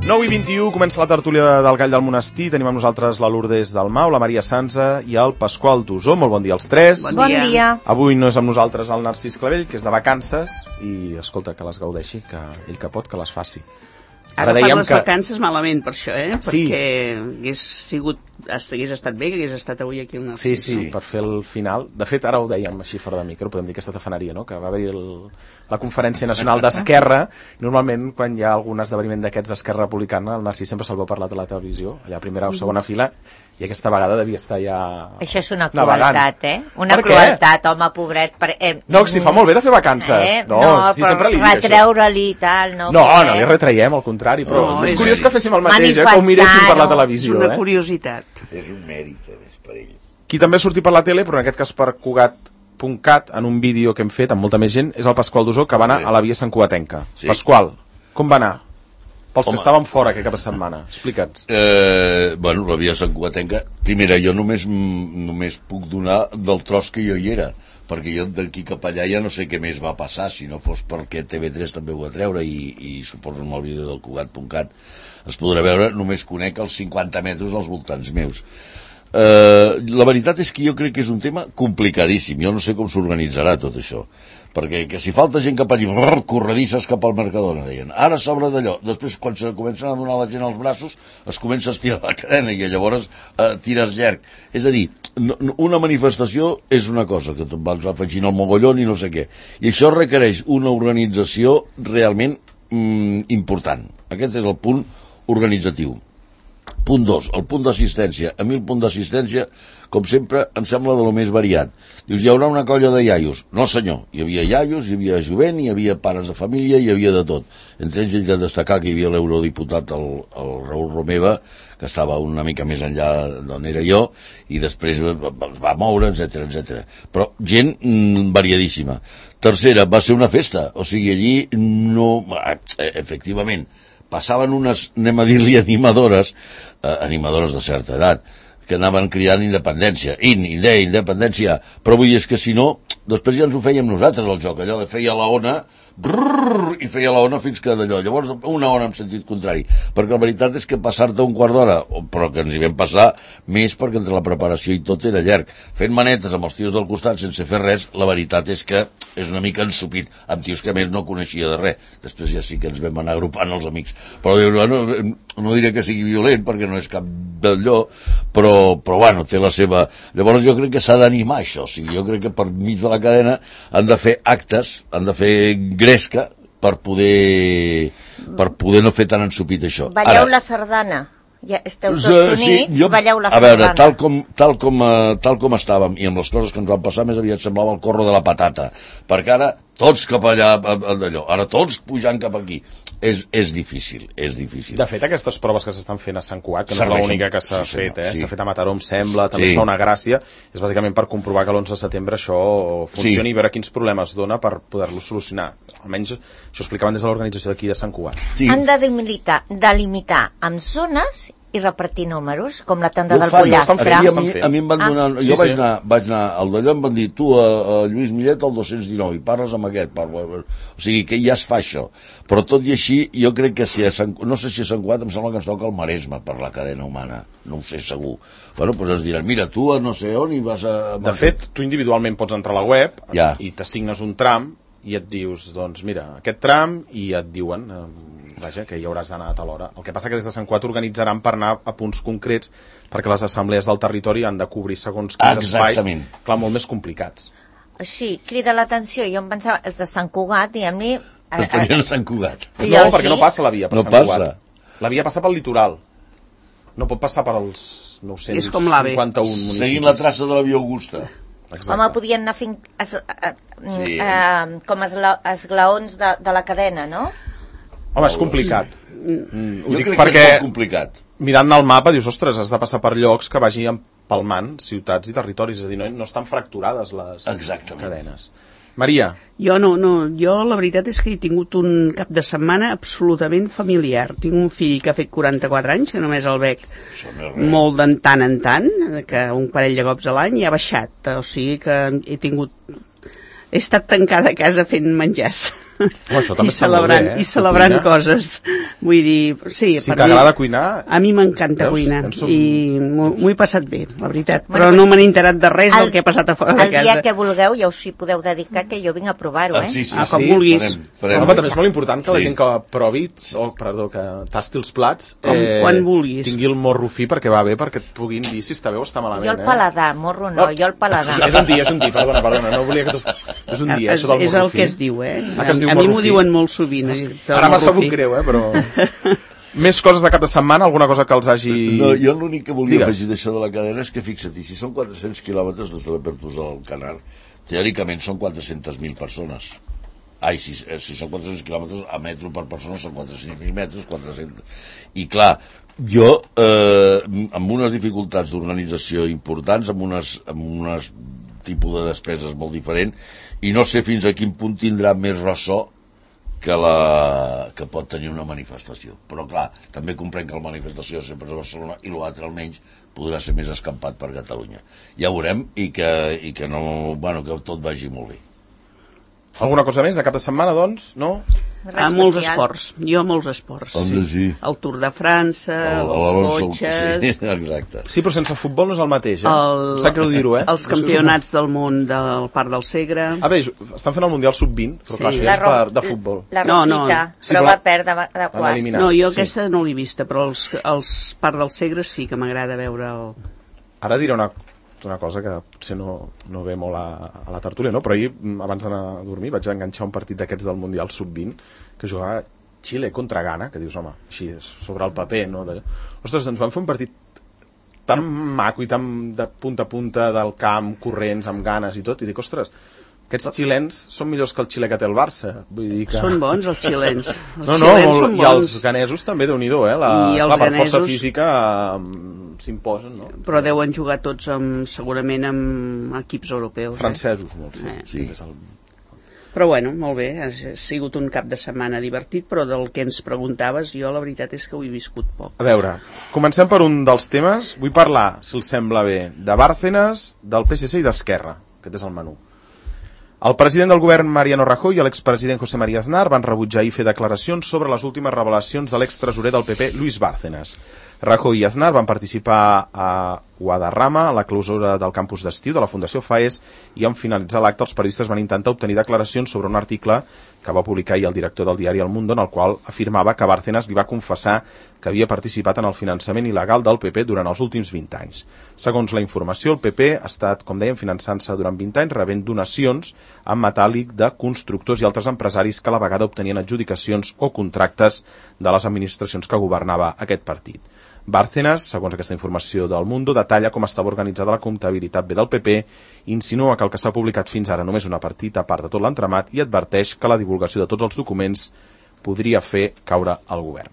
9:21, comença la tertúlia del Gall del Monestir. Tenim amb nosaltres la Lourdes Dalmau, la Maria Sanza i el Pasqual Dusó. Molt bon dia als tres. Bon dia. Avui no és amb nosaltres el Narcís Clavell, que és de vacances, i escolta, que les gaudeixi, que ell que pot, que les faci. Ara fas les vacances malament per això, Sí. Perquè hagués estat bé que hagués estat avui aquí el Narcís. Sí, per fer el final. De fet, ara ho dèiem així fora de micro, podem dir aquesta tafaneria, no? Que va haver-hi la Conferència Nacional d'Esquerra, i normalment quan hi ha algun esdeveniment d'aquests d'Esquerra Republicana, el Narcís sempre se'l veu parlar a la televisió, allà a primera o segona fila, i aquesta vegada devia estar ja... Això és una crueltat, Una per crueltat, home, pobret. No, si fa molt bé de fer vacances. No, sí, però sempre li dic retreure-li i tal, no. No li retraiem, al contrari, però és curiós que féssim el mateix, que ho miréssim per la televisió. És una curiositat. És un mèrit, a més, per ell. Qui també ha sortit per la tele, però en aquest cas per Cugat.cat, en un vídeo que hem fet amb molta més gent, és el Pasqual Dusó, que va anar a la via Sant Cugatenca. Sí. Pasqual, com va anar? Pels que estàvem fora aquest cap de setmana, explica'ns. Bueno, la via Sant Cugatenca, primera, jo només puc donar del tros que jo hi era, perquè jo d'aquí cap allà ja no sé què més va passar, si no fos perquè TV3 també ho va treure, i suposo amb el vídeo del Cugat.cat es podrà veure, només conec els 50 metres als voltants meus. La veritat és que jo crec que és un tema complicadíssim. Jo no sé com s'organitzarà tot això, perquè que si falta gent cap allí, corredisses cap al Mercadona, deien, ara s'obre d'allò, després quan se comencen a donar la gent als braços es comença a estirar la cadena i llavors tires llarg. És a dir, una manifestació és una cosa, que tot vas afegint el mogollon i no sé què, i això requereix una organització realment important. Aquest és el punt organitzatiu. Punt 2, el punt d'assistència. A mi el punt d'assistència, com sempre, em sembla de lo més variat. Dius, hi haurà una colla de iaios. No, senyor. Hi havia iaios, hi havia jovent, hi havia pares de família, hi havia de tot. Entre ells he de destacar que hi havia l'eurodiputat, el Raül Romeva, que estava una mica més enllà d'on era jo, i després va moure, etc. Però gent variadíssima. Tercera, va ser una festa. O sigui, allí no... Efectivament, passaven unes, anem a dir-li, animadores de certa edat, que anaven cridant independència, independència, però vull dir, és que si no, després ja ens ho fèiem nosaltres el joc, allò de feia la ona, i feia la ona fins que d'allò, llavors una ona en sentit contrari, perquè la veritat és que passar-te un quart d'hora, però que ens hi vam passar més perquè entre la preparació i tot era llarg, fent manetes amb els tios del costat sense fer res, la veritat és que és una mica ensupit, amb tios que a més no coneixia de res, després ja sí que ens vam anar agrupant els amics, però bueno, no diré que sigui violent perquè no és cap d'allò, però bueno, té la seva... Llavors jo crec que s'ha d'animar això, o sigui, jo crec que per mig de la cadena han de fer actes, han de fer gresca per poder no fer tan ensupit això. Balleu la sardana. Ja esteu tots units, balleu la A sardana. veure, tal com estàvem i amb les coses que ens van passar, més aviat semblava el corro de la patata, perquè ara tots cap allà d'allò, ara tots pujant cap aquí. És difícil. De fet, aquestes proves que s'estan fent a Sant Cugat, que no és l'única que s'ha fet, s'ha fet a Mataró, em sembla, també es fa una gràcia, és bàsicament per comprovar que l'11 de setembre això funcioni i veure quins problemes dona per poder-los solucionar. Almenys això explicaven des de l'organització d'aquí de Sant Cugat. Han de delimitar amb zones i repartir números, com la tenda del pollastre. A mi em van donar... Jo vaig anar al d'allò, em van dir, tu, a Lluís Millet, al 219, i parles amb aquest. O sigui, que ja es fa això. Però tot i així, jo crec que no sé si a Sant Cugat em sembla que ens toca el Maresme per la cadena humana. No ho sé segur. Bueno, doncs es diran, mira, tu a no sé on i vas a... De fet, tu individualment pots entrar a la web i t'assignes un tram i et dius, doncs mira, aquest tram, i et diuen... Vaja, que hi hauràs d'anar a tal hora. El que passa que des de Sant Cugat organitzaran per anar a punts concrets, perquè les assemblees del territori han de cobrir segons quins espais, clar, molt més complicats. Així, crida l'atenció, jo em pensava, els de Sant Cugat, diguem-li... Els tenien a Sant Cugat. No, perquè no passa la via per Sant Cugat. La via passa pel litoral. No pot passar per als 951 municipis. Seguint la traça de la via Augusta. Exacte. Home, podien anar fent com esglaons de la cadena, no? Home, és complicat. Ho dic perquè és complicat. Mirant el mapa dius, ostres, has de passar per llocs que vagi empalmant ciutats i territoris, és a dir, no estan fracturades les cadenes. Maria. Jo la veritat és que he tingut un cap de setmana absolutament familiar. Tinc un fill que ha fet 44 anys, que només el veig molt de tant en tant, que un parell de cops a l'any, i ha baixat. O sigui que he estat tancada a casa fent menjars. I celebrant coses. Vull dir, sí, si t'agrada cuinar... A mi m'encanta cuinar i m'ho he passat bé, la veritat. Però no me n'he enterat de res del que ha passat a fora de casa. El dia que vulgueu ja us hi podeu dedicar, que jo vinc a provar-ho, Sí, com vulguis. Home, també és molt important que la gent que provi, que tasti els plats, quan vulguis, tingui el morro fi perquè va bé, perquè et puguin dir si està bé o està malament. Jo el paladar, morro no, jo el paladar. És un dir, perdona, no volia que tu... És un dir, això del morro fi. És el que es diu, A mi m'ho diuen molt sovint. Ara m'ha sabut greu, però... Més coses de cap de setmana? Alguna cosa que els hagi... No, jo l'únic que volia afegir d'això de la cadena és que fixa't, si són 400 quilòmetres des de la Pertusa al Canar, teòricament són 400.000 persones. Si són 400 quilòmetres a metro per persona són 400.000 metres, 400... I clar, jo, amb unes dificultats d'organització importants, amb unes tipus de despeses molt diferent, i no sé fins a quin punt tindrà més ressò que pot tenir una manifestació. Però clar, també comprenc que la manifestació sempre és a Barcelona i l'altre almenys podrà ser més escampat per Catalunya. Ja veurem i que tot vagi molt bé. Alguna cosa més de cap de setmana, doncs? No? Molts esports. Jo molts esports. Sí. El Tour de França, els cotxes... Sí, exacte. Sí, però sense futbol no és el mateix, Em sap greu dir-ho, Els campionats del món del Parc del Segre... Bé, estan fent el Mundial Sub-20, però clar, això és de futbol. La Rosita, però va perdre de quarts. No, jo aquesta no l'he vista, però els Parc del Segre sí que m'agrada veure el... Ara diré una cosa que potser no ve molt a la tertúlia, no? Però ahir, abans d'anar a dormir, vaig enganxar un partit d'aquests del Mundial Sub-20 que jugava Xile contra Ghana, que dius, home, així, sobre el paper, no? Ostres, doncs van fer un partit tan maco i tan de punta a punta del camp, corrents, amb ganes i tot, i dic, ostres, aquests xilens són millors que el Xile que té el Barça. Vull dir que... Són bons, els xilens. I els ganesos també, Déu-n'hi-do, per força física s'imposen, no? Però deuen jugar tots segurament amb equips europeus. Francesos, molts. Sí. Però bueno, molt bé, ha sigut un cap de setmana divertit, però del que ens preguntaves, jo la veritat és que ho he viscut poc. A veure, comencem per un dels temes. Vull parlar, si els sembla bé, de Bárcenas, del PSC i d'Esquerra. Aquest és el menú. El president del govern Mariano Rajoy i l'expresident José María Aznar van rebutjar i fer declaracions sobre les últimes revelacions de l'extresorer del PP, Luis Bárcenas. Rajoy i Aznar van participar a Guadarrama, a la clausura del campus d'estiu de la Fundació FAES, i en finalitzar l'acte els periodistes van intentar obtenir declaracions sobre un article que va publicar ahir el director del diari El Mundo, en el qual afirmava que Bárcenas li va confessar que havia participat en el finançament il·legal del PP durant els últims 20 anys. Segons la informació, el PP ha estat, com dèiem, finançant-se durant 20 anys, rebent donacions en metàl·lic de constructors i altres empresaris que a la vegada obtenien adjudicacions o contractes de les administracions que governava aquest partit. Bárcenas, segons aquesta informació del Mundo, detalla com estava organitzada la comptabilitat B del PP, insinua que el que s'ha publicat fins ara només una petita part de tot l'entramat i adverteix que la divulgació de tots els documents podria fer caure el govern.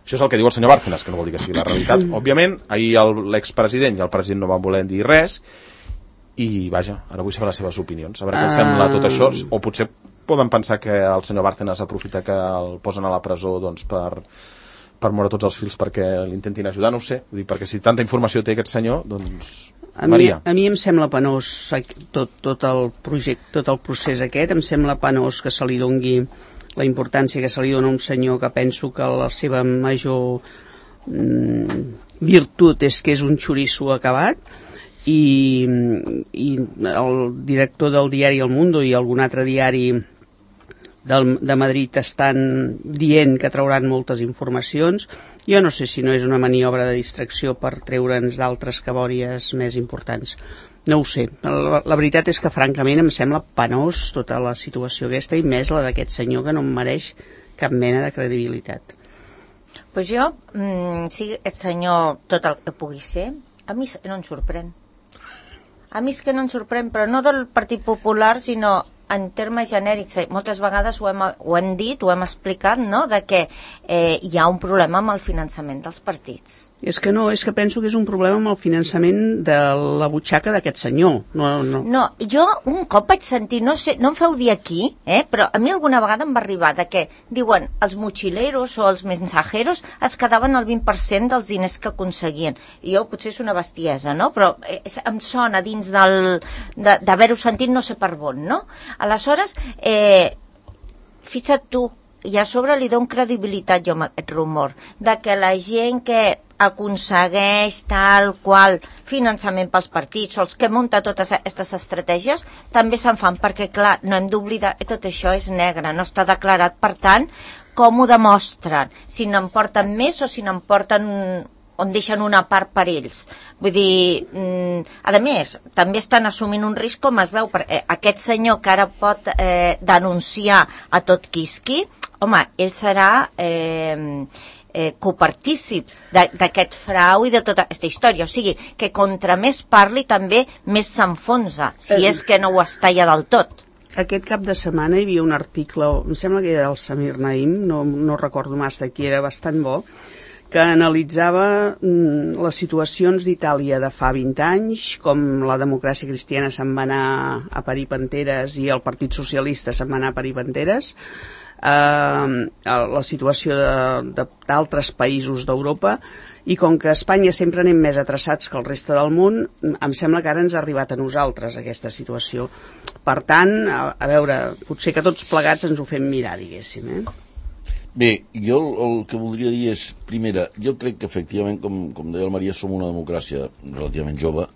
Això és el que diu el senyor Bárcenas, que no vol dir que sigui la realitat. Òbviament, ahir l'expresident i el president no van voler dir res i, vaja, ara vull saber les seves opinions, a veure què els sembla tot això, o potser poden pensar que el senyor Bárcenas aprofita que el posen a la presó doncs, per moure tots els fils perquè l'intentin ajudar, no ho sé, vull dir, perquè si tanta informació té aquest senyor, doncs... Maria. A mi em sembla penós tot el projecte, tot el procés aquest, em sembla penós que se li dongui la importància que se li dona a un senyor que penso que la seva major virtut és que és un xoriço acabat, i el director del diari El Mundo i algun altre diari de Madrid estan dient que trauran moltes informacions. Jo no sé si no és una maniobra de distracció per treure'ns d'altres cabòries més importants. No ho sé. La veritat és que francament em sembla penós tota la situació aquesta i més la d'aquest senyor que no em mereix cap mena de credibilitat. Pues jo, si aquest senyor tot el que pugui ser, a mi no em sorprèn. A mi és que no em sorprèn, però no del Partit Popular, sinó en termes genèrics. Moltes vegades ho hem dit, ho hem explicat, no?, de que hi ha un problema amb el finançament dels partits. És que penso que és un problema amb el finançament de la butxaca d'aquest senyor. No, jo un cop vaig sentir, no sé, no em feu dir aquí, però a mi alguna vegada em va arribar de que diuen els mochileros o els mensajeros es quedaven el 20% dels diners que aconseguien. I jo potser és una bestiesa, no?, però em sona dins d'haver-ho sentit no sé per on, no? Aleshores, fixa't tu, i a sobre li dono credibilitat jo amb aquest rumor, de que la gent que aconsegueix tal qual finançament pels partits, o els que munta totes aquestes estratègies, també se'n fan, perquè clar, no hem d'oblidar, tot això és negre, no està declarat, per tant, com ho demostren? Si n'en porten més o si n'en porten on deixen una part per ells. Vull dir, a més, també estan assumint un risc, com es veu, aquest senyor que ara pot denunciar a tot quisqui, home, ell serà copartícip d'aquest frau i de tota aquesta història. O sigui, que contra més parli també més s'enfonsa, si és que no ho està ja del tot. Aquest cap de setmana hi havia un article, em sembla que era del Samir Naim, no recordo massa qui era, bastant bo, que analitzava les situacions d'Itàlia de fa 20 anys, com la democràcia cristiana se'n va anar a parir panteres i el Partit Socialista se'n va anar a parir panteres, la situació d'altres països d'Europa, i com que a Espanya sempre anem més atrasats que el reste del món, em sembla que ara ens ha arribat a nosaltres aquesta situació. Per tant, a veure, potser que tots plegats ens ho fem mirar, diguéssim, Bé, jo el que voldria dir és, primera, jo crec que efectivament, com deia el Maria, som una democràcia relativament jove.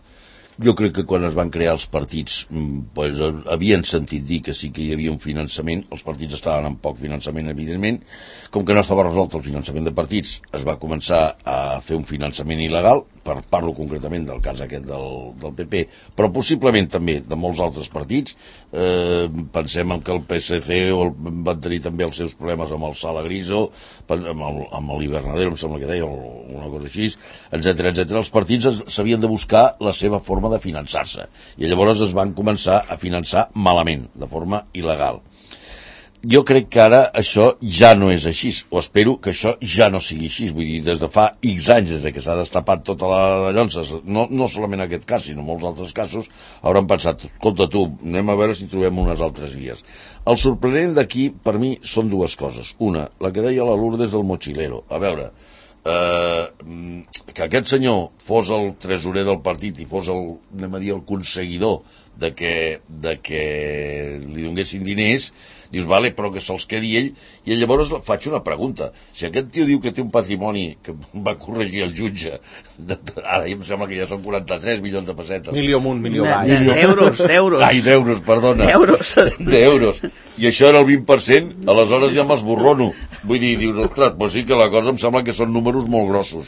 Jo crec que quan es van crear els partits pues, havien sentit dir que sí que hi havia un finançament, els partits estaven amb poc finançament, evidentment. Com que no estava resolt el finançament de partits, es va començar a fer un finançament il·legal, parlo concretament del cas aquest del PP, però possiblement també de molts altres partits. Pensem que el PSC van tenir també els seus problemes amb el Sala Griso, amb l'Hivernadero, em sembla que deia, o una cosa així, etcètera. Els partits s'havien de buscar la seva forma de finançar-se, i llavors es van començar a finançar malament, de forma il·legal. Jo crec que ara això ja no és així, o espero que això ja no sigui així. Vull dir, des de fa X anys, des que s'ha destapat tota la de llonses, no solament aquest cas, sinó molts altres casos, hauran pensat, escolta tu, anem a veure si trobem unes altres vies. El sorprenent d'aquí, per mi, són dues coses. Una, la que deia la Lourdes del mochilero. A veure, que aquest senyor fos el tresorer del partit i fos el conseguidor de que li donessin diners, dius, vale, però que se'ls quedi ell. I llavors faig una pregunta. Si aquest tio diu que té un patrimoni que va corregir el jutge, ara em sembla que ja són 43 milions de pessetes. Milió amunt, milió avall. D'euros. Ai, d'euros, perdona. D'euros. I això era el 20%, aleshores ja m'esborrono. Vull dir, dius, ostres, però sí que la cosa em sembla que són números molt grossos.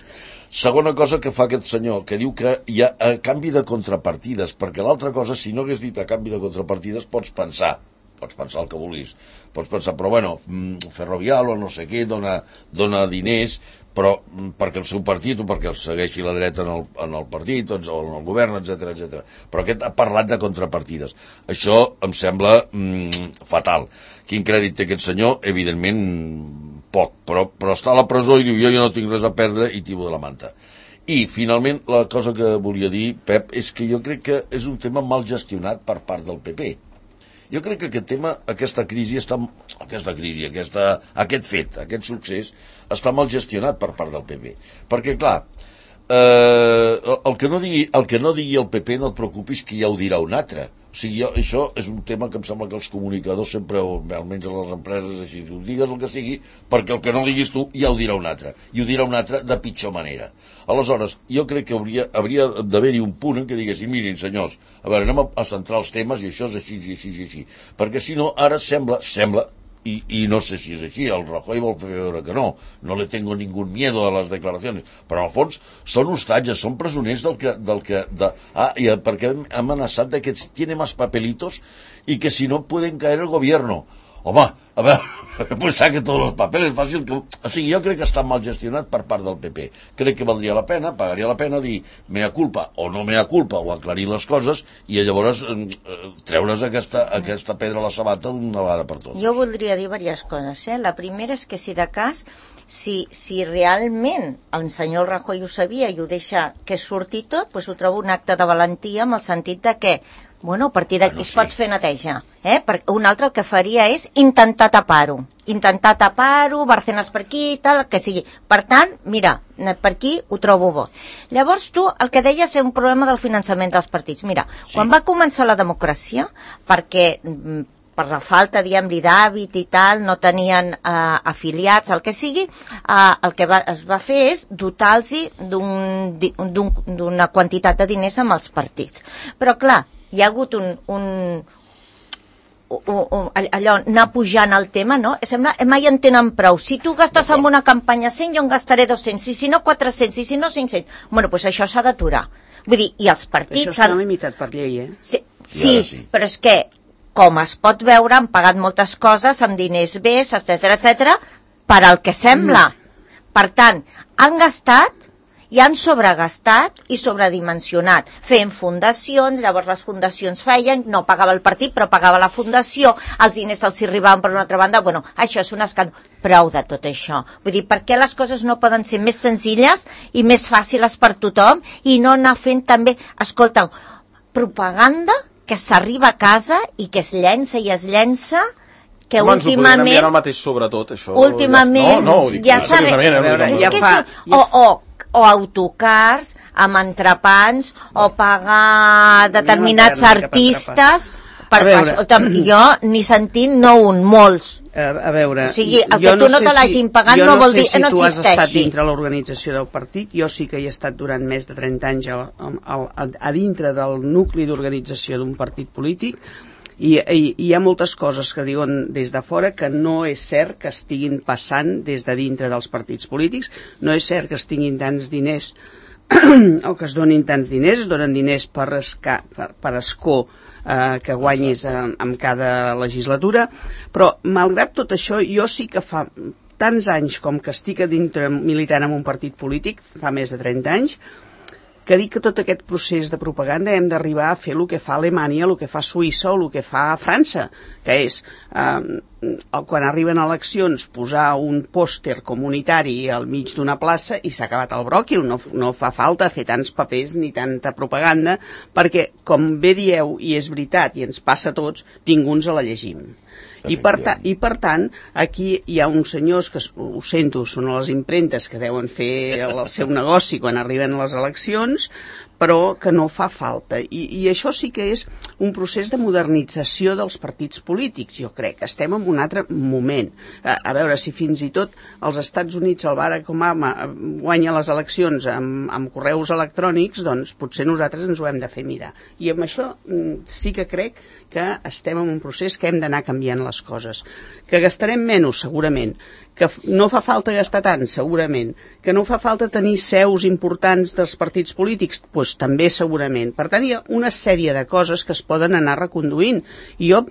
Segona cosa que fa aquest senyor, que diu que hi ha a canvi de contrapartides, perquè l'altra cosa, si no hagués dit a canvi de contrapartides, pots pensar el que vulguis, pots pensar, però bueno, Ferrovial o no sé què dona diners, però perquè el seu partit o perquè el segueixi la dreta en el partit o en el govern, etc. Però aquest ha parlat de contrapartides. Això em sembla fatal. Quin crèdit té aquest senyor? Evidentment poc, però està a la presó i diu, jo no tinc res a perdre i tibo de la manta. I finalment la cosa que volia dir, Pep, és que jo crec que és un tema mal gestionat per part del PP. Jo crec que aquest tema, aquest fet, aquest succés, està mal gestionat per part del PP. Perquè, clar, el que no digui el PP, no et preocupis, que ja ho dirà un altre. O sigui, això és un tema que em sembla que els comunicadors sempre, o almenys a les empreses, així, tu digues el que sigui, perquè el que no diguis tu ja ho dirà un altre. I ho dirà un altre de pitjor manera. Aleshores, jo crec que hauria d'haver-hi un punt en què diguessin, mirin, senyors, a veure, anem a centrar els temes i això és així, i així, i així. Perquè si no, ara sembla, i no sé si és així, el Rajoy vol fer veure que no le tengo ningún miedo a les declaracions, però al fons són hostatges, són presoners perquè han amenaçat de que tiene más papelitos y que si no pueden caer el gobierno. Home, a veure, pensar que tots els papeles fàcil que... O sigui, jo crec que està mal gestionat per part del PP. Crec que valdria la pena, pagaria la pena dir mea culpa o no mea culpa o aclarir les coses i llavors treure's aquesta pedra a la sabata d'una vegada per totes. Jo voldria dir diverses coses. La primera és que si de cas, si realment el senyor Rajoy ho sabia i ho deixa que surti tot, doncs ho trobo un acte de valentia amb el sentit de que a partir d'aquí es pot fer neteja. Perquè un altre el que faria és intentar tapar-ho, Bárcenas per aquí, tal, que sigui. Per tant, mira, per aquí ho trobo bo. Llavors tu, el que deies és un problema del finançament dels partits. Mira, quan va començar la democràcia, perquè per la falta, diguem-li, d'hàbit i tal, no tenien afiliats, el que sigui, el que es va fer és dotar-los d'una quantitat de diners amb els partits. Però, clar, hi ha hagut allò, anar pujant el tema, no? Sembla, mai en tenen prou. Si tu gastes en una campanya 100, jo en gastaré 200, i si no 400, i si no 500. Bueno, doncs això s'ha d'aturar. Vull dir, i els partits... Això està limitat per llei, Sí, però és que, com es pot veure, han pagat moltes coses amb diners bes, etc per al que sembla. Per tant, han gastat i han sobregastat i sobredimensionat, fent fundacions, llavors les fundacions feien, no pagava el partit, però pagava la fundació, els diners els arribaven per una altra banda, bueno, això és un escàndol. Prou de tot això. Vull dir, per què les coses no poden ser més senzilles i més fàcils per tothom i no anar fent també, escolta, propaganda que s'arriba a casa i que es llença i es llença, que últimament... Ens ho podem enviar al mateix sobretot, això. Últimament... No, ho dic seriosament. O autocars amb entrepans o pagar determinats artistes jo ni sentint no un, molts. A veure, o sigui, el que tu no te l'hagin pagat no vol dir que no existeixi. Jo no sé si tu has estat dintre l'organització del partit, jo sí que hi he estat durant més de 30 anys a dintre del nucli d'organització d'un partit polític, i hi ha moltes coses que diuen des de fora que no és cert que estiguin passant des de dintre dels partits polítics, no és cert que es tinguin tants diners o que es donin tants diners, es donen diners per escó que guanyis en cada legislatura, però malgrat tot això jo sí que fa tants anys com que estic a dintre militant en un partit polític, fa més de 30 anys, que dic que tot aquest procés de propaganda hem d'arribar a fer el que fa Alemanya, el que fa Suïssa o el que fa França, que és, quan arriben eleccions, posar un pòster comunitari al mig d'una plaça i s'ha acabat el bròquil, no fa falta fer tants papers ni tanta propaganda, perquè, com bé dieu, i és veritat, i ens passa a tots, ningú ens la llegim. I per tant, aquí hi ha uns senyors que, ho sento, són a les impremtes que deuen fer el seu negoci quan arriben les eleccions, però que no fa falta. I això sí que és un procés de modernització dels partits polítics, jo crec. Estem en un altre moment. A veure, si fins i tot als Estats Units el Barack Obama guanya les eleccions amb correus electrònics, doncs potser nosaltres ens ho hem de fer mirar. I amb això sí que crec que estem en un procés que hem d'anar canviant les coses. Que gastarem menys, segurament. Que no fa falta gastar tant, segurament. Que no fa falta tenir seus importants dels partits polítics, doncs també segurament. Per tant, hi ha una sèrie de coses que es poden anar reconduint. I a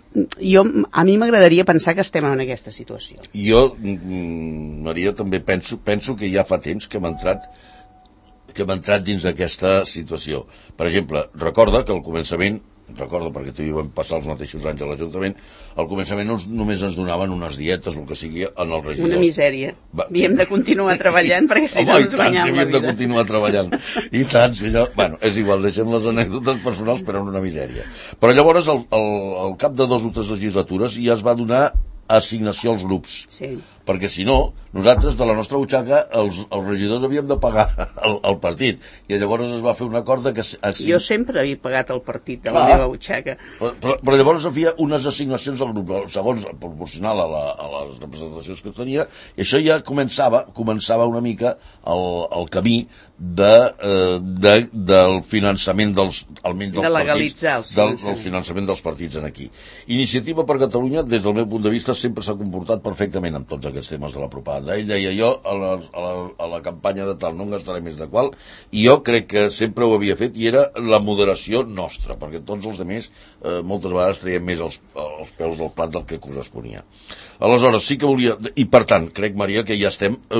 mi m'agradaria pensar que estem en aquesta situació. Jo, Maria, també penso que ja fa temps que hem entrat dins d'aquesta situació. Per exemple, recorda que al començament, perquè tu i jo vam passar els mateixos anys a l'Ajuntament, al començament només ens donaven unes dietes, el que sigui, en els regidors. Una misèria. Havíem de continuar treballant perquè si no ens guanyàvem la vida. Havíem de continuar treballant. I tant, si allò... Bueno, és igual, deixem les anècdotes personals, però en una misèria. Però llavors, al cap de 2 o 3 legislatures, ja es va donar assignació als grups. Sí. Perquè si no, nosaltres de la nostra butxaca els regidors havíem de pagar el partit, i llavors es va fer un acord de que... Jo sempre havia pagat el partit de la meva butxaca. Però llavors es feia unes assignacions al grup, segons proporcional a les representacions que tenia, i això ja començava una mica el camí del finançament almenys dels de legalitzar partits, del finançament dels partits en aquí. Iniciativa per Catalunya, des del meu punt de vista, sempre s'ha comportat perfectament amb tots aquests temes de la propaganda. Ell deia, jo a la campanya de tal no en gastaré més de qual, i jo crec que sempre ho havia fet, i era la moderació nostra, perquè tots els altres moltes vegades traiem més els peus del plat del que corresponia. Aleshores, sí que volia... I per tant, crec, Maria, que ja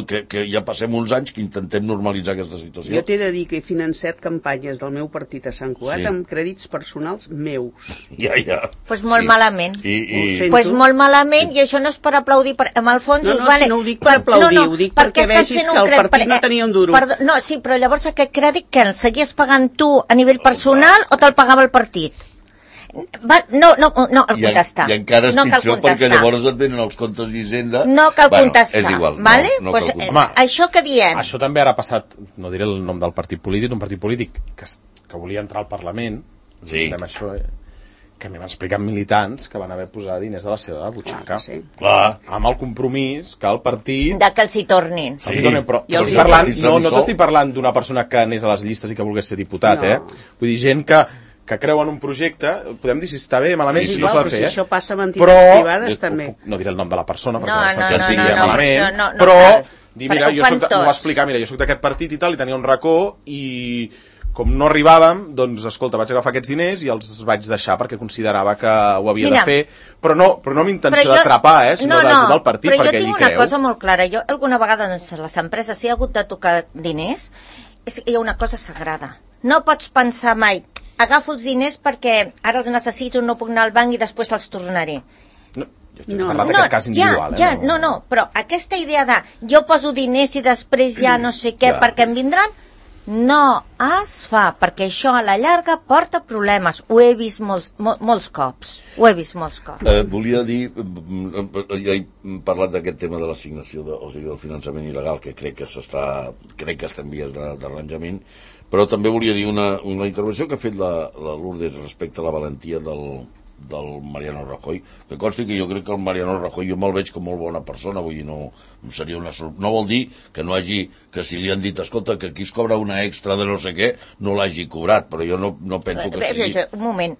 que ja passem uns anys que intentem normalitzar aquesta situació. Jo t'he de dir que he financiat campanyes del meu partit a Sant Cugat amb crèdits personals meus. Ja. Pues molt malament. Pues molt malament, i això no és per aplaudir, amb el fons us vale... No ho dic per aplaudir, ho dic perquè vegis que el partit no tenia un duro. No, sí, però llavors aquest crèdit que el seguies pagant tu a nivell personal o te'l pagava el partit? No cal contestar. I encara és pitjor perquè llavors et venen els comptes d'Hisenda. No cal contestar. És igual. Vale? Pues, això que diem... Això també ara ha passat, no diré el nom del partit polític, un partit polític que volia entrar al Parlament, sí. Això, que a mi m'han explicat militants que van haver posat diners de la seva butxaca. Sí. Clar. Amb el compromís que el partit... De que els hi tornin. Sí. Però no t'estic parlant d'una persona que anés a les llistes i que volgués ser diputat, Vull dir, gent que creu en un projecte, podem dir si està bé, malament, sí, si no s'ha de fer, si això passa amb entitats privades, també. No diré el nom de la persona, perquè no, però dir, mira, m'ho va explicar, mira, jo soc d'aquest partit i tal, i tenia un racó, i com no arribàvem, doncs, escolta, vaig agafar aquests diners i els vaig deixar perquè considerava que ho havia de fer, però no amb intenció d'atrapar, sinó d'ajudar el partit, perquè ell hi creu. Però jo tinc una cosa molt clara. Jo alguna vegada, doncs, a les empreses, si hi ha hagut de tocar diners, hi ha una cosa sagrada. No pots pensar mai, agafo els diners perquè ara els necessito, no puc anar al banc i després els tornaré. Jo he parlat d'aquest cas individual. No, però aquesta idea de jo poso diners i després ja no sé què perquè em vindran, no es fa, perquè això a la llarga porta problemes. Ho he vist molts cops. Volia dir, ja he parlat d'aquest tema de l'assignació, o sigui, del finançament il·legal, que crec que està en vies d'arranjament, però també volia dir una intervenció que ha fet la Lourdes respecte a la valentia del Mariano Rajoy, que consti que jo crec que el Mariano Rajoy jo me'l veig com molt bona persona, vull dir, no vol dir que no hagi, que si li han dit, escolta, que aquí es cobra una extra de no sé què, no l'hagi cobrat, però jo no penso que sigui... Un moment,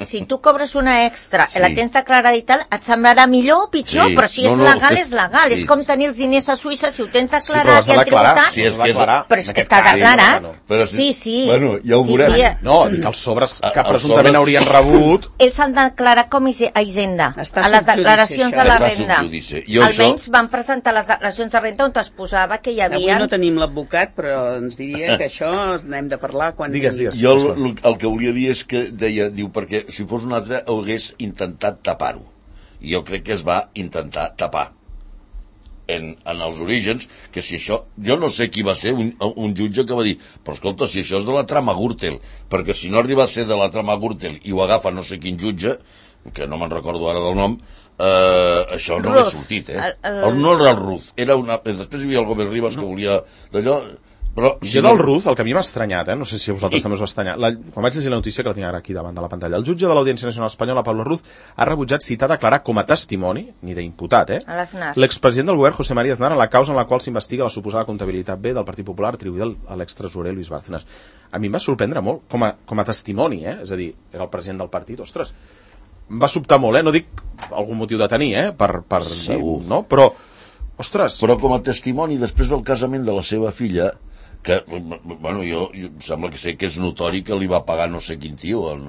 si tu cobres una extra, la tens declarada i tal, et semblarà millor o pitjor, però si és legal, és legal. És com tenir els diners a Suïssa, si ho tens declarat i el tributat... Però és que està declarat. Sí. Bueno, ja ho veurem. No, dic els sobres que presumptament haurien rebut... Ells s'han declarat com a Hisenda, a les declaracions de la renda. Almenys van presentar les declaracions de renda on es posava que hi havia... Avui no tenim l'advocat, però ens diria que això n'hem de parlar quan... Digues. Jo el que volia dir és que diu, perquè si fos un altre hagués intentat tapar-ho. I jo crec que es va intentar tapar en els orígens, que si això... Jo no sé qui va ser un jutge que va dir, però escolta, si això és de la trama Gürtel, perquè si no arriba a ser de la trama Gürtel i ho agafa no sé quin jutge, que no me'n recordo ara del nom, això no l'he sortit, no era el Ruz, després hi havia el Gómez Rivas que volia d'allò, però... Jo del Ruz, el que a mi m'ha estranyat, no sé si a vosaltres també us va estranyar, quan vaig llegir la notícia, que la tinc ara aquí davant de la pantalla, el jutge de l'Audiència Nacional Espanyola, Pablo Ruz, ha rebutjat citar a declarar com a testimoni, ni d'imputat, l'expresident del govern, José María Aznar, en la causa en la qual s'investiga la suposada comptabilitat B del Partit Popular atribuïda a l'extresorer Luis Bárcenas. A mi em va sorprendre molt, com a testimoni, és a dir, era el president del partit, ostres, em va sobtar molt, no dic algun motiu de tenir, no? Però, ostres... Però com a testimoni, després del casament de la seva filla, que, bueno, jo sembla que sé que és notori que li va pagar no sé quin tio el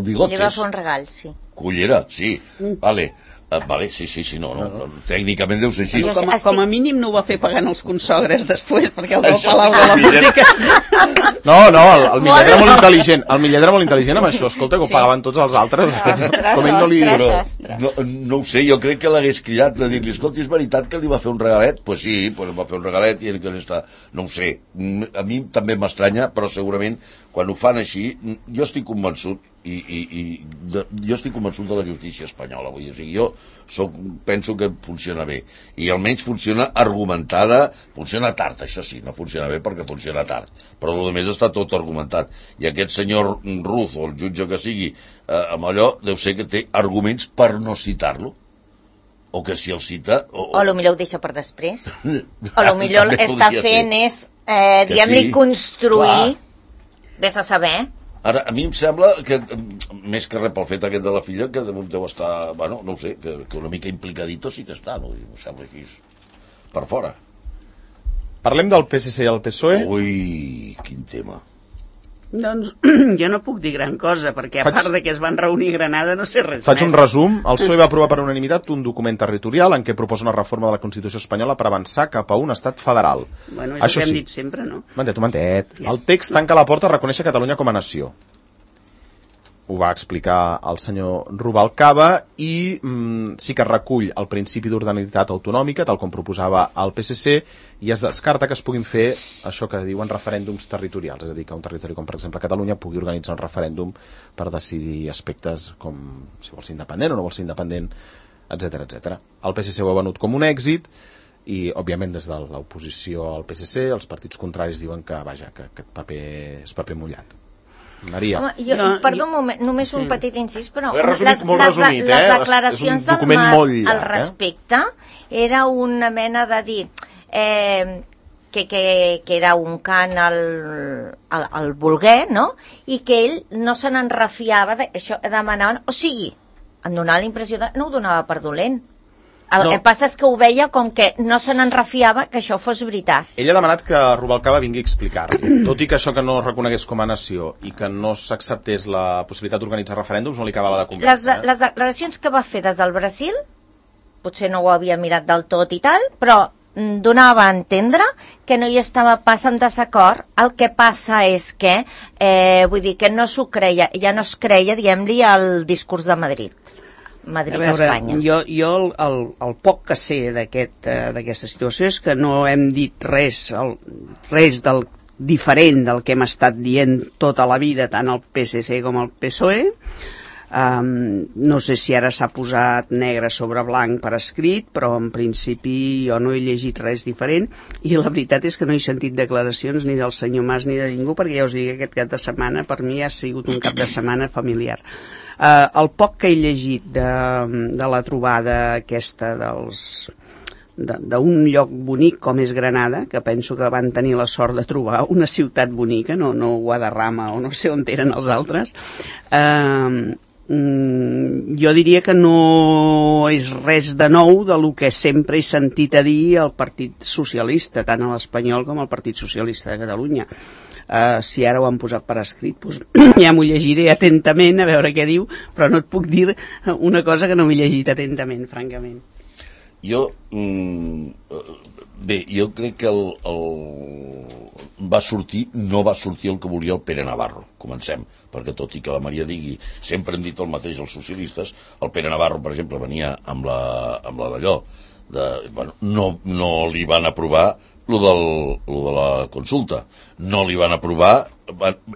Bigotes. Li va fer un regal, sí. Cullera, sí, vale, sí, no, tècnicament deu ser així. Com a mínim no ho va fer pagant els consogres després, perquè el del Palau de la Música... No, el Millet era molt intel·ligent. El Millet era molt intel·ligent amb això. Escolta, que ho pagaven tots els altres. Com ell no li... No ho sé, jo crec que l'hagués cridat de dir-li, escolta, és veritat que li va fer un regalet? Pues sí, va fer un regalet i que està... No ho sé, a mi també m'estranya, però segurament quan ho fan així, jo estic convençut jo estic convençut de la justícia espanyola, vull dir, o sigui, jo penso que funciona bé, i almenys funciona argumentada, funciona tard, això sí, no funciona bé perquè funciona tard, però el més està tot argumentat, i aquest senyor Ruz, o el jutge que sigui, amb allò, deu ser que té arguments per no citar-lo, o que si el cita... O potser ho deixa per després, o potser està fent és, diguem-li, construir, vés a saber... Ara, a mi em sembla que, més que res pel fet aquest de la filla, que deu estar, bueno, no ho sé, que una mica implicadito sí que està, no? Em sembla així, per fora. Parlem del PSC i el PSOE. Ui, quin tema. Doncs jo no puc dir gran cosa, perquè a part de que es van reunir a Granada no sé res més. Faig un resum. El PSOE va aprovar per unanimitat un document territorial en què proposa una reforma de la Constitució espanyola per avançar cap a un estat federal. Bueno, és el que hem dit sempre, no? Mantet. El text tanca la porta a reconèixer Catalunya com a nació. Ho va explicar el senyor Rubalcaba i sí que recull el principi d'ordinalitat autonòmica, tal com proposava el PSC, i es descarta que es puguin fer això que diuen referèndums territorials, és a dir, que un territori com per exemple Catalunya pugui organitzar un referèndum per decidir aspectes com si vol ser independent o no vol ser independent, etc. El PSC ho ha venut com un èxit i, òbviament, des de l'oposició al PSC, els partits contraris diuen que, vaja, que aquest paper és paper mullat. Maria. Home, perdó un moment, només un petit incís, però les declaracions del Mas al respecte era una mena de dir que era un cant al volguer, no? I que ell no se n'en refiava d'això, demanaven, o sigui, em donava la impressió de no ho donava per dolent. El que passa és que ho veia com que no se n'en refiava que això fos veritat. Ell ha demanat que Rubalcaba vingui a explicar-li. Tot i que això que no es reconegués com a nació i que no s'acceptés la possibilitat d'organitzar referèndums, no li acabava de convèncer. Les declaracions que va fer des del Brasil, potser no ho havia mirat del tot i tal, però donava a entendre que no hi estava pas en desacord. El que passa és que, vull dir, que no s'ho creia, ja no es creia, diguem-li, el discurs de Madrid. Madrid-Espanya. Jo el poc que sé d'aquesta situació és que no hem dit res del diferent del que hem estat dient tota la vida, tant el PSC com el PSOE. No sé si ara s'ha posat negre sobre blanc per escrit, però en principi jo no he llegit res diferent, i la veritat és que no he sentit declaracions ni del senyor Mas ni de ningú, perquè ja us dic, aquest cap de setmana per mi ha sigut un cap de setmana familiar. El poc que he llegit de la trobada aquesta d'un lloc bonic com és Granada, que penso que van tenir la sort de trobar una ciutat bonica, no Guadarrama o no sé on eren els altres, jo diria que no és res de nou de lo que sempre he sentit a dir el Partit Socialista, tant a l'Espanyol com al Partit Socialista de Catalunya. Si ara ho han posat per escrit, doncs ja m'ho llegiré atentament a veure què diu, però no et puc dir una cosa que no m'he llegit atentament, francament. Jo crec que no va sortir el que volia el Pere Navarro. Comencem, perquè tot i que la Maria digui, sempre hem dit el mateix els socialistes, el Pere Navarro, per exemple, venia amb la d'allò, no li van aprovar lo de la consulta, no li van aprovar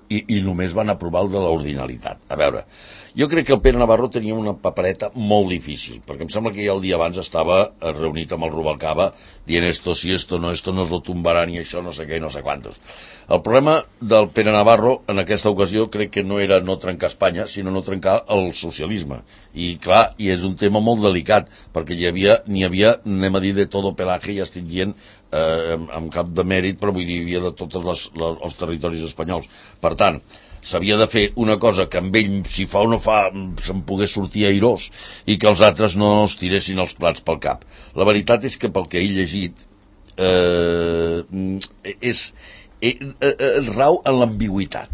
i només van aprovar el de l'ordinalitat. A veure, jo crec que el Pere Navarro tenia una papereta molt difícil, perquè em sembla que ja el dia abans estava reunit amb el Rubalcaba dient esto sí, esto no nos lo tumbaran i això no sé què i no sé quantos. El problema del Pere Navarro en aquesta ocasió crec que no era no trencar Espanya, sinó no trencar el socialisme. I clar, i és un tema molt delicat, perquè n'hi havia, anem a dir, de todo pelaje, ja estic dient amb cap de mèrit, però vull dir, hi havia de tots els territoris espanyols. Per tant, s'havia de fer una cosa que amb ell, si fa o no fa, se'n pogués sortir airós i que els altres no es tiressin els plats pel cap. La veritat és que pel que he llegit rau en l'ambigüitat.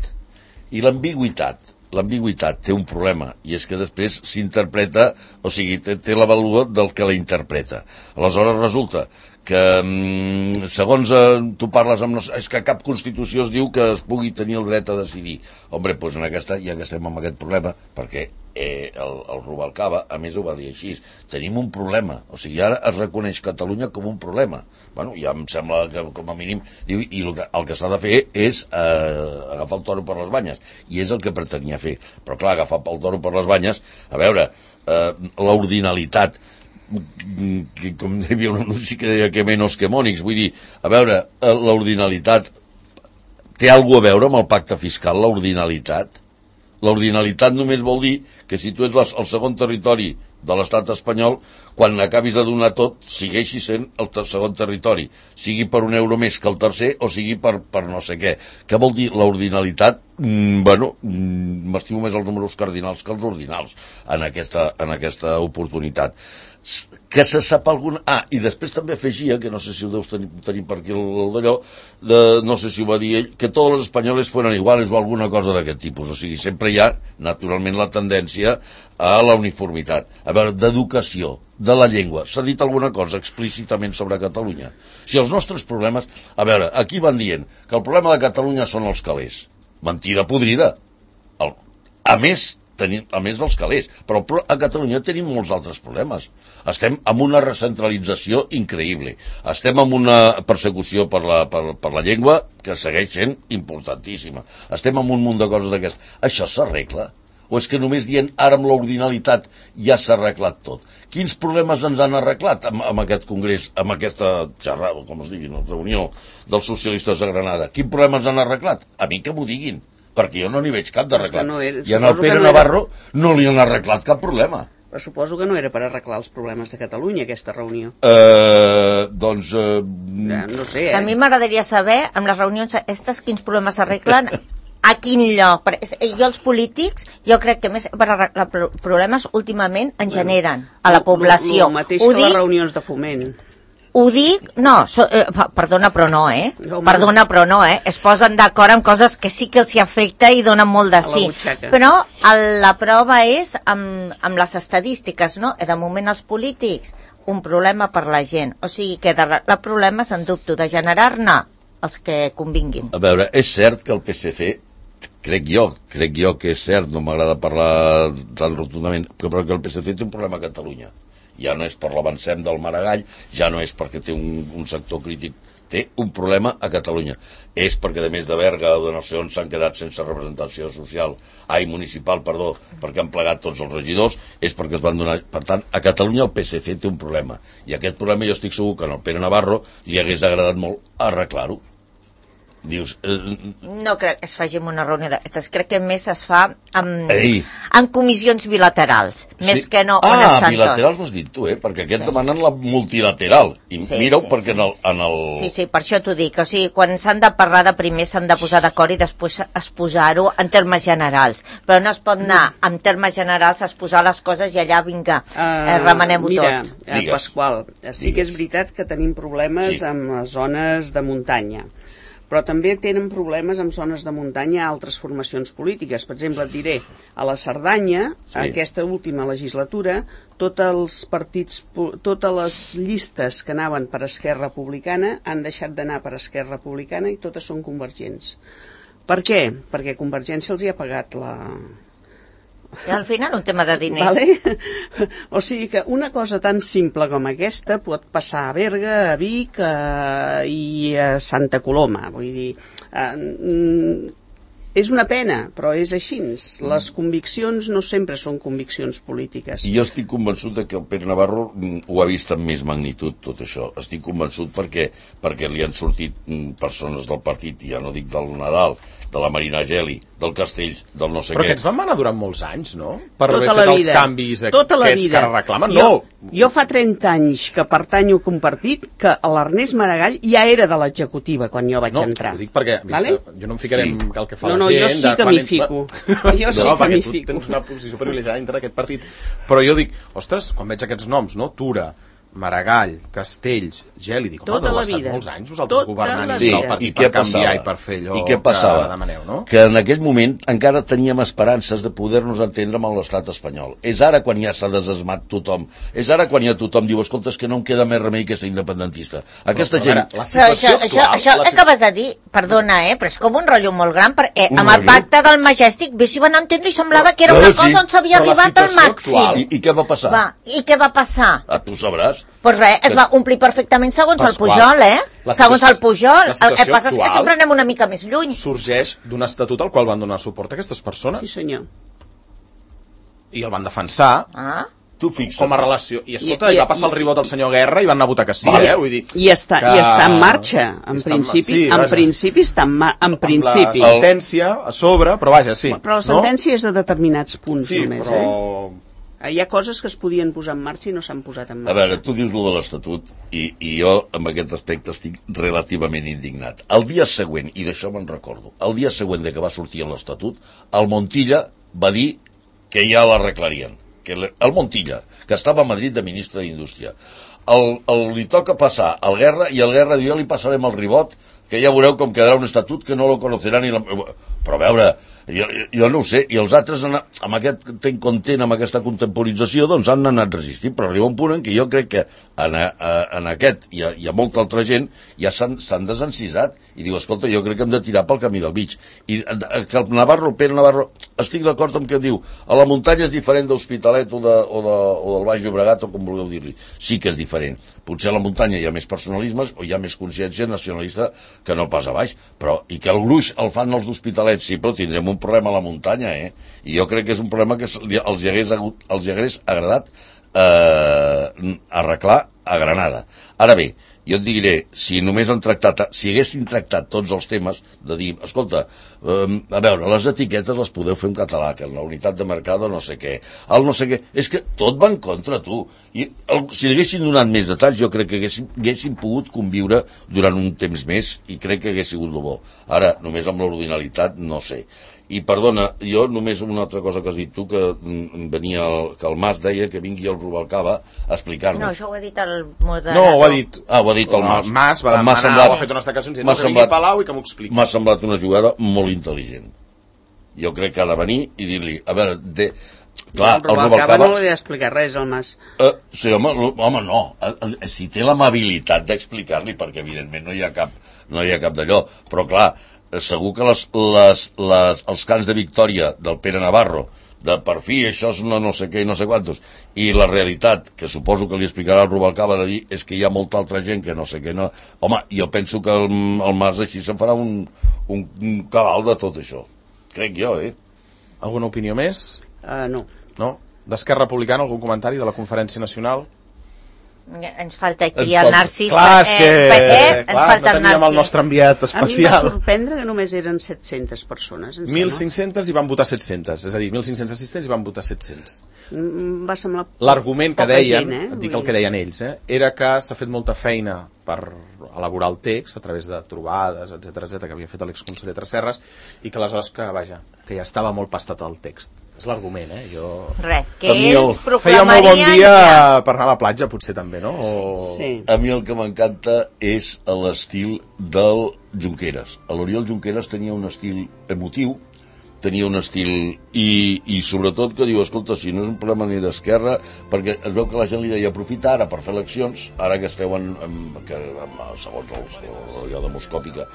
I l'ambigüitat té un problema, i és que després s'interpreta, o sigui, té la vàlua del que la interpreta. Aleshores resulta que segons tu parles amb... És que cap Constitució es diu que es pugui tenir el dret a decidir. Hombre, doncs en aquesta, ja que estem amb aquest problema, perquè el Rubalcaba, a més, ho va dir així, tenim un problema. O sigui, ara es reconeix Catalunya com un problema. Bueno, ja em sembla que, com a mínim, diu, i el que s'ha de fer és agafar el toro per les banyes. I és el que pretenia fer. Però, clar, agafar el toro per les banyes, a veure, l'ordinalitat, com hi havia un anunci que deia que menos que mònics, vull dir, a veure, l'ordinalitat té alguna a veure amb el pacte fiscal, l'ordinalitat? L'ordinalitat només vol dir que si tu ets el segon territori de l'estat espanyol, quan acabis de donar tot, segueixi sent el segon territori, sigui per un euro més que el tercer o sigui per no sé què. Què vol dir l'ordinalitat? M'estimo més els números cardinals que els ordinals en aquesta oportunitat. Que se sap algun... i després també afegia, que no sé si ho deus tenir per aquí el d'allò, no sé si ho va dir ell, que tots els espanyols fueran iguals o alguna cosa d'aquest tipus. O sigui, sempre hi ha, naturalment, la tendència a la uniformitat. A veure, d'educació, de la llengua, s'ha dit alguna cosa explícitament sobre Catalunya? Si els nostres problemes... A veure, aquí van dient que el problema de Catalunya són els calés. Mentida podrida. A més dels calés, però a Catalunya tenim molts altres problemes. Estem amb una recentralització increïble, estem amb una persecució per la llengua que segueix sent importantíssima, estem amb un munt de coses d'aquestes. Això s'arregla? O és que només dient ara amb l'ordinalitat ja s'ha arreglat tot? Quins problemes ens han arreglat amb aquest congrés, amb aquesta xerrada, com es digui, reunió dels socialistes de Granada? Quins problemes han arreglat? A mi que m'ho diguin. perquè jo no n'hi veig cap d'arreglat. I en el Pere Navarro no li han arreglat cap problema. Però suposo que no era per arreglar els problemes de Catalunya, aquesta reunió. Doncs... no sé, A mi m'agradaria saber, amb les reunions aquestes, quins problemes s'arreglen, a quin lloc. Jo els polítics, jo crec que més per arreglar problemes últimament en generen a la població. El mateix que les reunions de Foment. Ho dic, perdona però no, perdona però no, es posen d'acord amb coses que sí que els hi afecta i donen molt de sí, però la prova és amb les estadístiques, no? De moment els polítics, un problema per la gent, o sigui que de problemes en dubto, de generar-ne els que convinguin. A veure, és cert que el PSC, crec jo que és cert, no m'agrada parlar tan rotundament, però que el PSC té un problema a Catalunya. Ja no és per l'avancem del Maragall, ja no és perquè té un sector crític, té un problema a Catalunya. És perquè, a més de Berga o de no sé on, s'han quedat sense representació municipal, perquè han plegat tots els regidors, és perquè es van donar... Per tant, a Catalunya el PSC té un problema. I aquest problema jo estic segur que al Pere Navarro li hagués agradat molt arreglar-ho. Dius... No crec que es faci en una reunió d'aquestes, crec que més es fa en comissions bilaterals, més que no... bilaterals ho has dit tu, perquè aquests demanen la multilateral, i mira-ho perquè en el... Sí, per això t'ho dic, o sigui, quan s'han de parlar de primer s'han de posar d'acord i després exposar-ho en termes generals, però no es pot anar en termes generals a exposar les coses i allà, vinga, remenem-ho tot. Mira, Pasqual, sí que és veritat que tenim problemes amb les zones de muntanya, però també tenen problemes amb zones de muntanya altres formacions polítiques. Per exemple, et diré, a la Cerdanya, aquesta última legislatura, tots els partits, totes les llistes que anaven per Esquerra Republicana han deixat d'anar per Esquerra Republicana i totes són convergents. Per què? Perquè Convergència els hi ha pagat la... I al final un tema de diners. Vale? O sigui que una cosa tan simple com aquesta pot passar a Berga, a Vic i a Santa Coloma. Vull dir, és una pena, però és així. Les conviccions no sempre són conviccions polítiques. I jo estic convençut que el Pere Navarro ho ha vist amb més magnitud, tot això. Estic convençut perquè li han sortit persones del partit, ja no dic del Nadal, de la Marina Geli, del Castells, del no sé què. Però aquests van anar durant molts anys, no? Per haver fet els canvis aquests que reclamen. Jo fa 30 anys que pertanyo a un partit que l'Ernest Maragall ja era de l'executiva quan jo vaig entrar. No, ho dic perquè jo no em ficaré en el que fa la gent. No, jo sí que m'hi fico. Jo sí que m'hi fico. Tens una posició privilegiada dintre d'aquest partit. Però jo dic, ostres, quan veig aquests noms, no? Tura, Maragall, Castells, Geli, dic, home, heu estat molts anys vosaltres governant el partit per canviar i per fer allò que demaneu, no? Que en aquell moment encara teníem esperances de poder-nos entendre amb l'estat espanyol. És ara quan ja s'ha desesmat tothom. És ara quan ja tothom diu, escolta, és que no em queda més remei que ser independentista. Aquesta gent... Això acabes de dir, perdona, però és com un rotllo molt gran, perquè amb el pacte del Majestic, bé si van entendre i semblava que era una cosa on s'havia arribat al màxim. I què va passar? I què va passar? Tu sabràs. Pues res, es va omplir perfectament segons el Pujol, segons el Pujol. El que passa és que sempre anem una mica més lluny. Sorgeix d'un estatut al qual van donar suport a aquestes persones. Sí, senyor. I el van defensar. Tu fixa't. Com a relació. I escolta, va passar el ribot del senyor Guerra i van anar a votar que sí, vull dir... I està en marxa, en principi està en principi. La sentència a sobre, però vaja, sí. Però la sentència és de determinats punts només, però... Hi ha coses que es podien posar en marxa i no s'han posat en marxa. A veure, tu dius lo de l'Estatut i jo amb aquest aspecte estic relativament indignat. El dia següent, i d'això me'n recordo, el dia següent de que va sortir l'Estatut, el Montilla va dir que ja l'arreglarien. El Montilla, que estava a Madrid de ministre d'Indústria. Li toca passar al Guerra i el Guerra diu, jo li passarem el ribot, que ja veureu com quedarà un estatut que no lo conocerà ni la... Però a veure, jo no ho sé, i els altres amb aquest content, amb aquesta contemporització, doncs han anat resistint, però arriba un punt en què jo crec que en aquest i a molta altra gent ja s'han desencisat i diu, escolta, jo crec que hem de tirar pel camí del mig. I que el Pere Navarro, estic d'acord amb que diu, a la muntanya és diferent d'Hospitalet o del Baix Llobregat o com vulgueu dir-li. Sí que és diferent. Potser a la muntanya hi ha més personalismes o hi ha més consciència nacionalista que no pas a baix, però i que el gruix el fan els d'Hospitalet, sí, però tindrem un problema a la muntanya, i jo crec que és un problema que els hagués agradat arreglar a Granada. Ara bé, jo et diré, si haguessin tractat tots els temes, de dir, escolta, a veure, les etiquetes les podeu fer en català, que en la unitat de mercado no sé què, el no sé què, és que tot va en contra, tu. I si haguessin donat més detalls, jo crec que haguessin pogut conviure durant un temps més, i crec que hagués sigut el bo. Ara, només amb l'ordinalitat, no sé. I perdona, jo només una altra cosa que has dit tu, que venia que el Mas deia que vingui el Rubalcaba a explicar-nos. No, això ho ha dit el moderador. No, ho ha dit. Ah, ho ha dit el Mas. El Mas va demanar, ha fet unes declaracions dient que vingui a Palau i que m'ho expliqui. M'ha semblat una jugada molt intel·ligent. Jo crec que ha de venir i dir-li, a veure, clar, el Rubalcaba no li ha d'explicar res, el Mas. Sí, home, no. Si té l'amabilitat d'explicar-li, perquè evidentment no hi ha cap d'allò, però clar, segur que els cants de victòria del Pere Navarro, de per fi això és no sé què i no sé quantos, i la realitat, que suposo que li explicarà el Rubalcaba, de dir és que hi ha molta altra gent que no sé què, no. Home, jo penso que el Mas així se'n farà un cabal de tot això. Crec jo, Alguna opinió més? No. No? D'Esquerra Republicana, algun comentari de la Conferència Nacional? Ens falta aquí el Narcís. Clar, és que ens falta no teníem el nostre enviat especial. A mi em va sorprendre que només eren 700 persones. 1.500 i van votar 700, és a dir, 1.500 assistents i van votar 700. Va semblar l'argument que deien, gent, et dic el que deien ells, era que s'ha fet molta feina per elaborar el text a través de trobades, etc que havia fet l'exconseller Tresserras, i que aleshores que ja estava molt pastat el text. És l'argument, Res, que ells proclamarien... Feia molt bon dia per anar a la platja, potser també, no? Sí. A mi el que m'encanta és l'estil del Junqueras. L'Oriol Junqueras tenia un estil emotiu, tenia un estil i sobretot que diu, escolta, si no és un problema ni d'esquerra, perquè es veu que la gent li deia aprofita ara per fer eleccions, ara que esteu segons allò demoscòpica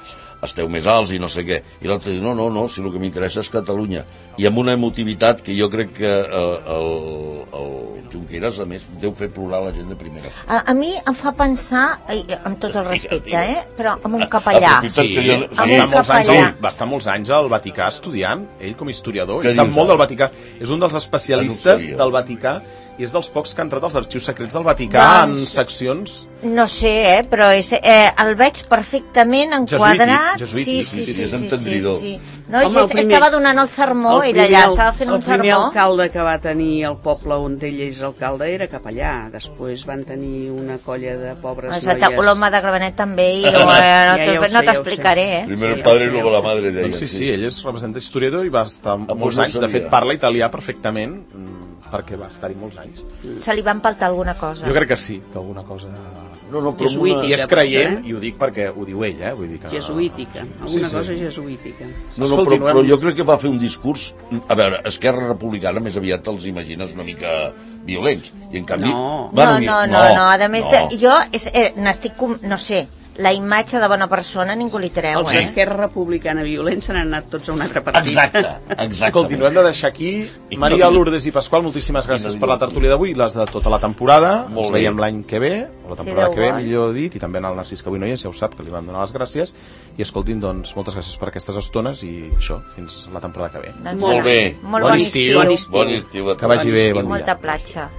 esteu més alts i no sé què, i l'altre diu, no, si el que m'interessa és Catalunya, i amb una emotivitat que jo crec que el Junqueras a més deu fer plorar la gent de primera. A mi em fa pensar, amb tot el respecte, però amb un capellà. Va estar molts anys al Vaticà estudiant, ell com a historiador, i sap molt del Vaticà, és un dels especialistes del Vaticà i és dels pocs que ha entrat als arxius secrets del Vaticà en seccions... No sé, però el veig perfectament enquadrat. Jesuïtic, és entendridor. No, estava donant el sermó, ell allà estava fent un sermó. El primer alcalde que va tenir el poble on ell és alcalde era capellà, després van tenir una colla de pobres noies. L'home de Gramenet també, i no t'explicaré. Primer el padre i luego la madre de ella. Sí, ell és representant historiador i va estar molts anys, de fet parla italià perfectament, perquè va estar-hi molts anys. Se li va empaltar alguna cosa? Jo crec que sí, que alguna cosa... Jesuítica, i és creient, i ho dic perquè ho diu ell, vull dir que... Jesuítica, alguna cosa jesuítica. Però jo crec que va fer un discurs... A veure, Esquerra Republicana més aviat els imagines una mica violents, i en canvi... No, a més, jo n'estic... No sé, la imatge de bona persona ningú li treu, Els d'Esquerra Republicana violents se n'han anat tots a un altre partit. Exacte. Escolti, no hem de deixar aquí. Maria Lourdes i Pasqual, moltíssimes gràcies per la tertúlia d'avui, les de tota la temporada. Ens veiem l'any que ve, o la temporada que ve, millor dit, i també en el Narcís, que avui no hi és, ja ho sap, que li vam donar les gràcies. I escoltin, doncs, moltes gràcies per aquestes estones i això, fins la temporada que ve. Molt bé. Molt bon estiu. Bon estiu. Que vagi bé, bon dia. Molta platja.